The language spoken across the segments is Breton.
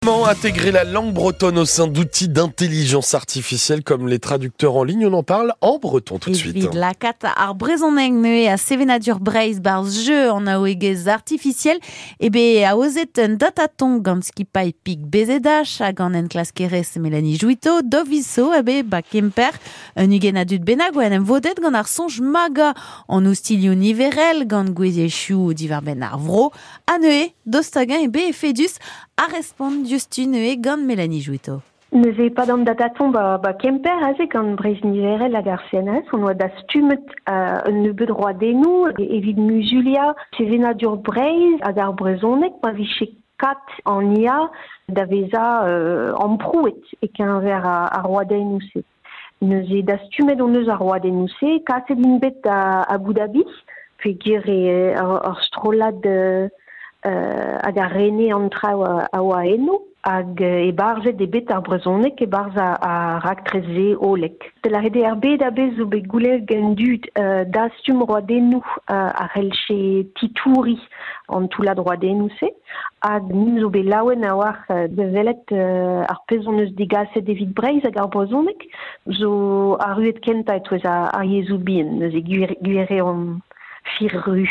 Comment intégrer la langue bretonne au sein d'outils d'intelligence artificielle comme les traducteurs en ligne? On en parle en breton tout de suite. Evit lakaat ar brezhoneg neuze ha sevenadur Breizh barzh jeu an aoegezh artificiel eo bet aozet un dataton gant skipailh Pik BZH hag an enklaskerez Mélanie Jouitto Doviso eo bet ba Kemper un ugent a dud bennak oa en em vodet gant ar soñj magañ an ostilhoù niverel gant gouiziezhioù diwar-benn ar vro ha neuze daoust hag-eñ eo bet efedus a respont diouzhtu neuze gant Mélanie Jouitto. Neuze pad an dataton ba, ba Kemper aze gant Breizh Niverel hag ar CNRS on oa dastumet un nebeud roadennoù evit muzuliañ sevenadur Breizh hag ar brezhoneg pa vije kat an IA da vezañ amprouet e-keñver ar roadennoù-se. Neuze dastumet hon eus ar roadennoù-se, kaset int bet da Abu Dhabi peogwir eo ur strollad hag a rene an traoù a oa eno hag ebarzhet eo bet ar brezhoneg e-barzh ar raktres-se hollek. Da lâret eo ar bed a-bezh zo bet goulennet gant dud dastum roadennoù a c'hellje titouriñ an toullad roadennoù-se hag int zo bet laouen a-walc'h da welet ar pezh hon eus degaset evit Breizh hag ar brezhoneg zo arruet kentañ e-touez ar yezhoù bihan neuze gwir gwir eo an firru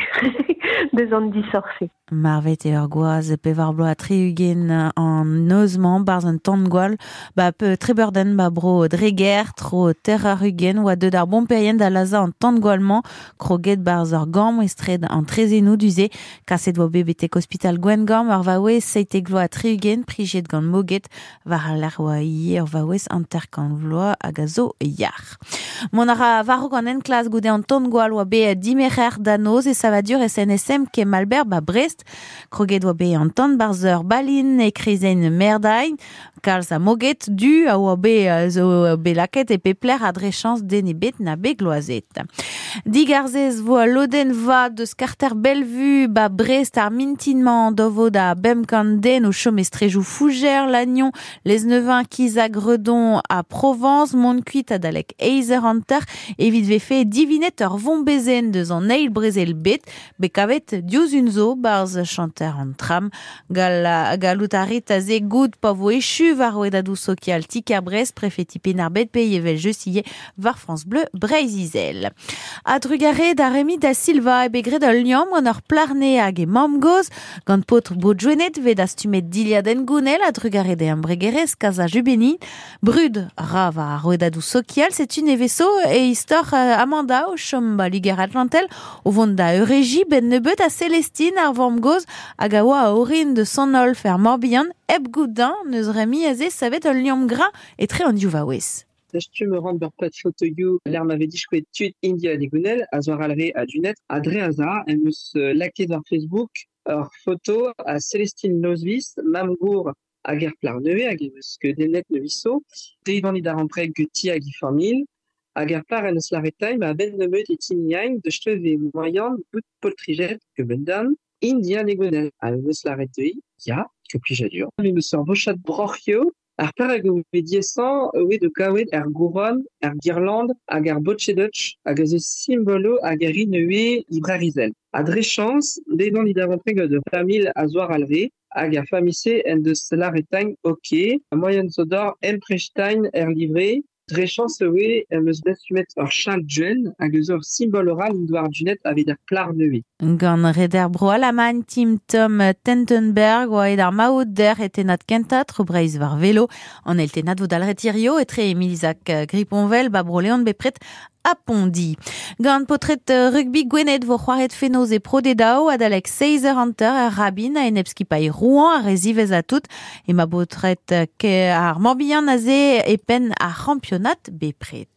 deus an disoc'h-se. Marvet eo ur gwaz pevar bloaz 60 an noz-mañ 'barzh un tan-gwall 'ba Trebeurden 'ba bro Dreger. Tro ter eur 20 oa deuet ar bomperien da lazhañ an tan-gwall-mañ kroget 'barzh ur gambr estred an traezhennoù du-se. Kaset oa bet betek ospital Gwengamp ur vaouez 77 prijet gant moged. War al lec'h oa ivez ur vaouez 50 vloaz hag a zo yac'h. Mont a ra war-raok an enklask goude an tan-gwall oa bet dimerc'her da noz e savadur SNSM Kemalber ba Brest. Kroget oa bet an tan barzh ur balin e kreizenn Merdain. Kalz a moged du a oa bet zo bet lakaet e pep lec'h ha dre chañs den ebet na bet gloazet. Digarzez vo al lodenn vat deus karter Bellevue ba Brest ar mintin-mañ dovo da 500 den o chom e strejoù Fougères, Lannion, Lesneven, Kizag, Redon ha Provence, mont kuit adalek eizh eur hanter evit vefe divinet ur vombezenn deus an eil brezel bet, bet kavet diouzh un zo 'barzh chanter an tram. Gall, gallout a rit aze goût pa vo echu war rouedadoù sokial ti-kêr Brest, prefeti Penn-ar-Bed pe evel-just ivez war France Bleu Breizh-Izel. A-drugarez da Remi da Silva eo bet graet ul liamm gant ur plac'h-nez hag he mamm-gozh Gant paotr Bro-Gwened 'vez dastumet dilhad hengounel a-drugarez d'e embregerezh Casa Jubeni. Brud ra war ar rouedadoù sokial, setu nevezo e istor Amanda o chom ba Liger-Atlantel o vont da eurejiñ 'benn nebeut ha Célestine ar vamm-gozh hag a oa a orin de Sant-Olf er Morbihan hep goût dañ n'eus Remi aze savet ul liamm gra etre an div vaouez. Dastum a ran ur pad fotoioù lec'h ma vez diskouezet tud India Digounel, a zo arall re a-du-net, ha dre aza em eus lakaet war Facebook ur foto a Célestine Nozvis, mamm-gour hag er plac'h nevez hag em eus skeudennet nevezo. Deuit on da rampreg ganti hag he familh. Hag er plac'h en deus lâret tailh ma a-benn nebeut e timiain da steuñv e moaian bout poltrijet kement-all. India Digounel ha em eus lâret dezhi ya, ke plijadur. Me 'm eus ur bochad broc'hioù Ar perag eo bet diaesañ eo da gaouet ar gouron, ar girland hag ar botche-dutch hag a zo simboloù hag a rin ivez e Breizh-Izel. Ha dre chañs, bet on e darempred gant ur familh a zoar alre hag ar familh-se en deus lâret din ok, moaien zo deoc'h emprestañ er livre. Dre chañs eo em eus dastumet ur chal gwenn hag eus ur simbol oral en doa ardunet evit ar plac'h nevez. Gant reder Bro-Alamagn Tim Tom Tentenberg oa aet ar maout dec'h e tennad kentañ tro Breizh war velo. An eil tennad vo dalc'het hirio etre Emilizak Griponvel ba Bro-Leon bepred ha Pondi. Gant paotred rugby Gwened vo c'hoariet fenoz e Pro D2 adalek 6h50 er Rabin a-enep skipailh Rouen ar re ziwezhañ tout. Emañ baotred ar Morbihan aze e penn ar c'hampionad bepred.